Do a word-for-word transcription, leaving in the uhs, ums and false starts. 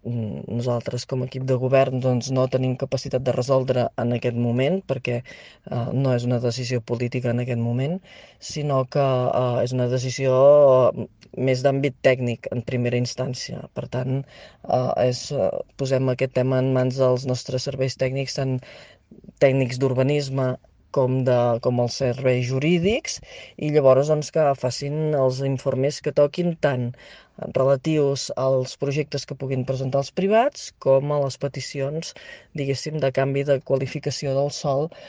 nosaltres com a equip de govern doncs, no tenim capacitat de resoldre en aquest moment perquè eh, no és una decisió política en aquest moment, sinó que eh, és una decisió eh, més d'àmbit tècnic en primera instància. Per tant, eh, és, eh, posem aquest tema en mans dels nostres serveis tècnics, tant tècnics d'urbanisme com, de, com els serveis jurídics, i llavors doncs, que facin els informes que toquin tant relatius als projectes que puguin presentar els privats com a les peticions, diguéssim, de canvi de qualificació del sòl